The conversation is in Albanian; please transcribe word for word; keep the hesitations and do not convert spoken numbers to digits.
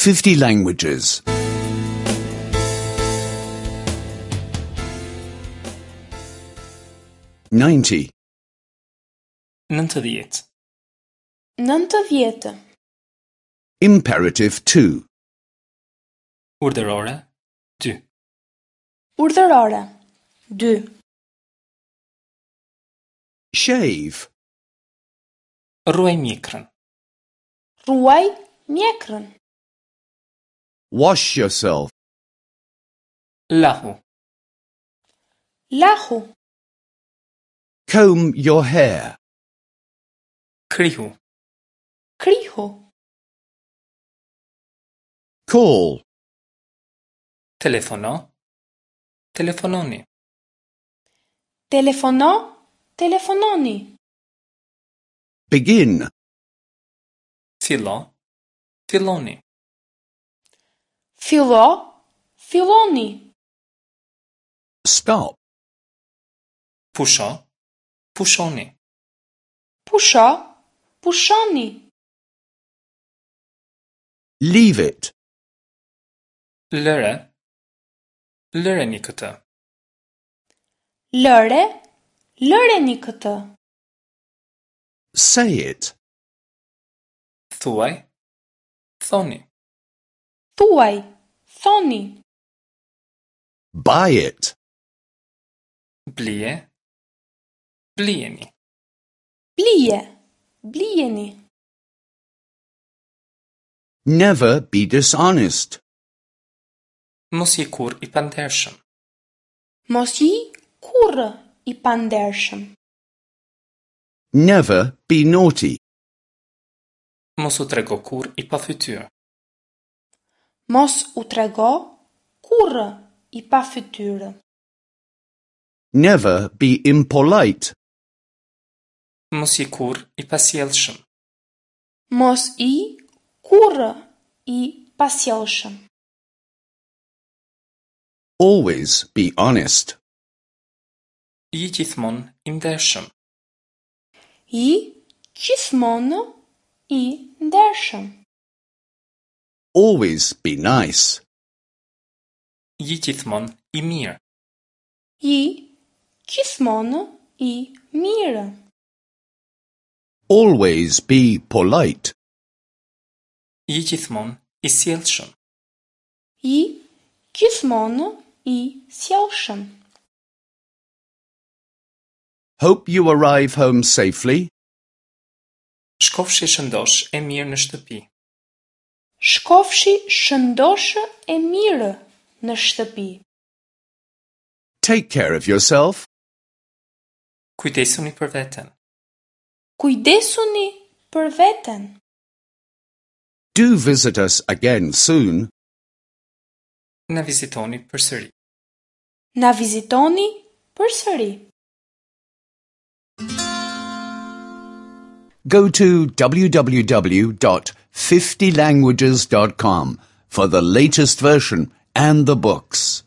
fifty languages. ninety. Nëntëdhjetë. Nëntëdhjetë. Imperative two. Urdhërore dy. Urdhërore. Dy. Shave. Rruaj mjekrën. Rruaj mjekrën. Wash yourself. Lahu. Lahu. Comb your hair. Krihu. Krihu. Call. Telefono. Telefononi. Telefono. Telefononi. Begin. Fillo. Filloni. Fillo. Filloni. Stop. Pusho. Pushoni. Pusho. Pushoni. Leave it. Lëre. Lëreni këtë. Lëre. Lëreni këtë. Say it. Thuaj. Thoni. Thuaj. Thoni. Buy it. Blije. Blijeni. Blije. Blijeni. Never be dishonest. Mos ji kurrë i pandershëm. Mos ji kurrë i pandershëm. Never be naughty. Mos u trego kurrë i pafytyrë. Mos u trego kurrë i pafytyrë. Never be impolite. Mos ji kurrë i pasjellshëm. Mos ji kurrë i pasjellshëm. Always be honest. Ji gjithmonë i ndershëm. Ji gjithmonë i ndershëm. Always be nice. Ji gjithmonë i mirë. Ji gjithmonë i mirë. Always be polite. Ji gjithmonë i sjellshëm. Ji gjithmonë i sjellshëm. Hope you arrive home safely. Shkofshi shëndosh e mirë në shtëpi. Shkofshi shëndosh e mirë në shtëpi. Take care of yourself. Kujdesuni për veten. Kujdesuni për veten. Do visit us again soon. Na vizitoni përsëri. Na vizitoni përsëri. Go to w w w dot fifty languages dot com for the latest version and the books.